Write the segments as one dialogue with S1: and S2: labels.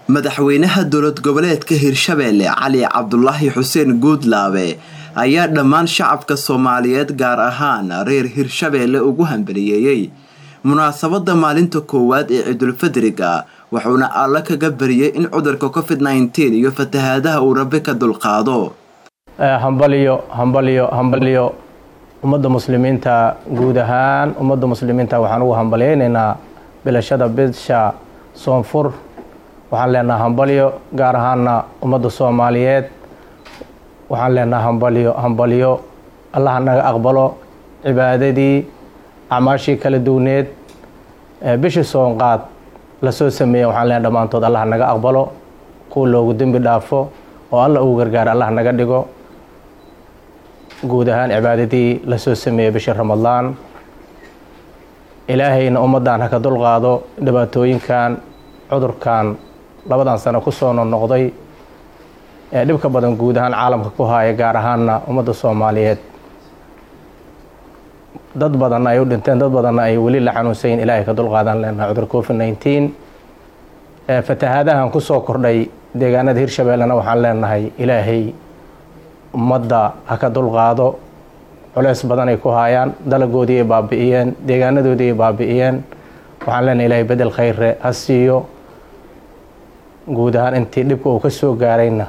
S1: Madaxweynaha dowlad goboleedka Hirshabeelle Cali Cabdulaahi Xuseen Guudlaabe ayaa dhammaan shacabka Soomaaliyeed, gaar ahaan reer Hirshabeelle, ugu hambaliyeeyay munaasabada maalinta koowaad ee Ciidulfidriga, wuxuuna Alle kaga bariyay in cudurka COVID-19 iyo fatahaadaha uu Rabbi ka dulqaado.
S2: Hambaliyo, hambaliyo, hambaliyo ummadda muslimiinta guud ahaan. Ummadda muslimiinta waxaan ugu hambalyeynaynaa bilashada bisha Soonfur. Waxaan leenaha hambalyo, gaar ahaana ummadda Soomaaliyeed waxaan leenaha hambalyo, hambalyo. Allaha naga aqbalo cibaadadii, acmaashii kala duwneed bishii soonqaad lasoo sameeyey. Waxaan leenaha dhammaantood Allaha naga aqbalo, kuwa loogu dembi dhaafo oo Alla ugu gargaaro Allah naga dhigo. Guud ahaan cibaadadii lasoo sameeyey bishii Ramadaan, Ilaahayna ummaddan ha ka dulqaado dhibaatooyinkan cudurkan labadan sano kusoo noqnoqday ee dhibka badan guud ahaan caalamka ku haaya, gaar ahaana ummadda Soomaaliyeed. Dad badanna ay u dhinteen, dad badanna ay weli la xanuunsayin. Ilaahay ka dulqaadan leenaha cudur COVID-19. Fatahaadahan kusoo kordhay deegaanada Hirshabeellena waxaan leenahay Ilaahay ummadda ha ka dulqaado. Culeys badan ay ku haayaan, dalagoodii ay baabi'iyeen, deegaanadoodii ay baabi'iyeen. Waxaan leenahay Ilaahay bedel khayre ha siiyo. Guud ahaan intii dhibka uu ka soo gaarayna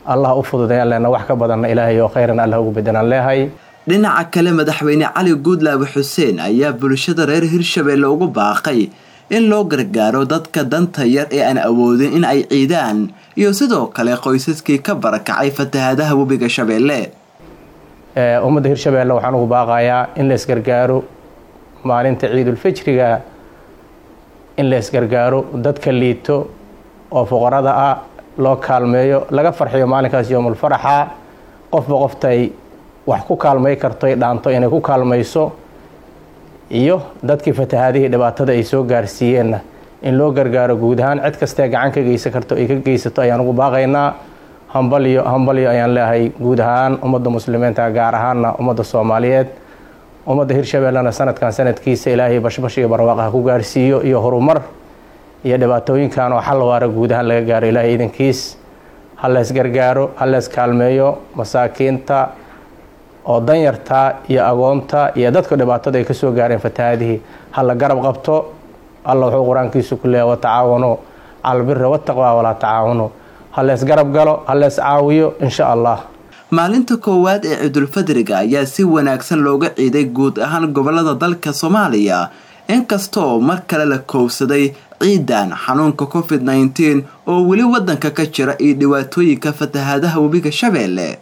S2: Allah u fududeeyaan leena, wax ka badanna Ilaahay oo khayran Allah ugu bedelaan leehay.
S1: Dhinaca kale, madaxweyne Cali Guudlaabe Xuseen ayaa bulshada reer Hirshabeelle ugu baaqay in loo gargaaro dadka danta yar ee aan awoodin in ay ciidaan, iyo sidoo kale qoysaskii ka barakacay fatahaadaha webiga Shabeelle.
S2: Ummadda Hirshabeelle waxaan ugu baaqayaa in la isgargaaro maalinta Ciidulfijriga, in la isgargaaro, dadka liito oo fuqarada ah loo kaalmeeyo, laga farxiyo maalinkaas yoomulfaraxa. Qofba qoftay wax ku kaalmay karto ay dhaanto inay ku kaalmayso, iyo dadkii fatahaadihii dhibaatada ay soo gaarsiiyeenna in loo gargaaro. Guud ahaan cid kastee gacan ka geysan karto ay ka geysato ayaan ugu baaqaynaa. Hambalyo, hambalyo ayaan leeyahay guud ahaan ummadda muslimiinta, gaar ahaana ummadda Soomaaliyeed. Ummadda Hirshabeellena sanadkan sanadkiisa Ilaahay bashbash iyo barwaaqaha ku gaarsiiyo iyo horumar iyo dhibaatooyinkan oo xal waara guud ahaan laga gaaro Ilaahay idankiis. Ha lees gargaaro, ha lees kaalmeeyo masaakiinta oo danyarta iyo agoonta iyo dadka dhibaatada ay kasoo gaareen fatahaadihii, ha la garab qabto. Alla wuxuu qur-aankiisu ku leeyahy: "Watacaawanuu cala albiri wattaqwa walaa tacaawanu." Ha lees garab galo, ha lees caawiyo, insha Allah.
S1: Maalinta koowaad ee Ciidulfadriga ayaa si wanaagsan looga ciiday guud ahaan gobolada dalka Soomaaliya, inkastoo mar kale la koobsaday ciidan xanuunka COVID-19 oo weli wadanka ka jira iyo dhibaatooyinka fatahaadaha webiga Shabeelle.